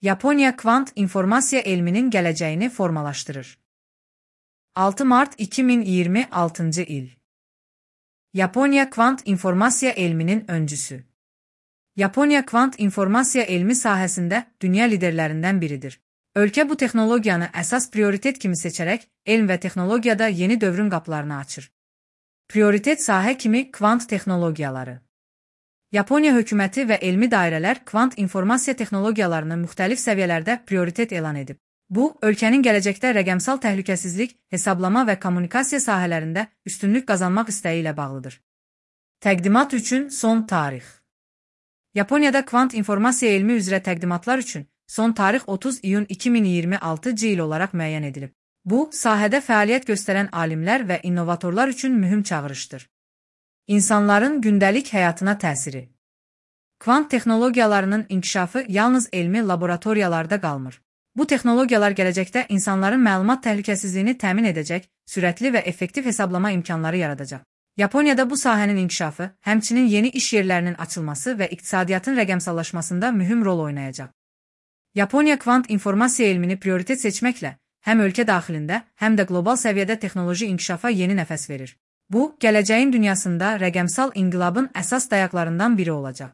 Yaponiya kvant informasiya elminin gələcəyini formalaşdırır. 6 mart 2026 il. Yaponiya kvant informasiya elminin öncüsü. Yaponiya kvant informasiya elmi sahəsində dünya liderlərindən biridir. Ölkə bu texnologiyanı əsas prioritet kimi seçərək, elm və texnologiyada yeni dövrün qapılarını açır. Prioritet sahə kimi kvant texnologiyaları. Yaponiya hökuməti və elmi dairələr kvant informasiya texnologiyalarını müxtəlif səviyyələrdə prioritet elan edib. Bu, ölkənin gələcəkdə rəqəmsal təhlükəsizlik, hesablama və kommunikasiya sahələrində üstünlük qazanmaq istəyi ilə bağlıdır. Təqdimat üçün son tarix. Yaponiyada kvant informasiya elmi üzrə təqdimatlar üçün son tarix 30 iyun 2026 il olaraq müəyyən edilib. Bu, sahədə fəaliyyət göstərən alimlər və innovatorlar üçün mühüm çağırışdır. İnsanların gündəlik həyatına təsiri. Kvant texnologiyalarının inkişafı yalnız elmi laboratoriyalarda qalmır. Bu texnologiyalar gələcəkdə insanların məlumat təhlükəsizliyini təmin edəcək, sürətli və effektiv hesablama imkanları yaradacaq. Yaponiyada bu sahənin inkişafı, həmçinin yeni iş yerlərinin açılması və iqtisadiyyatın rəqəmsallaşmasında mühüm rol oynayacaq. Yaponiya kvant informasiya elmini prioritet seçməklə həm ölkə daxilində, həm də qlobal səviyyədə texnoloji inkişafa yeni nəfəs verir. Bu, gələcəyin dünyasında rəqəmsal inqilabın əsas dayaqlarından biri olacaq.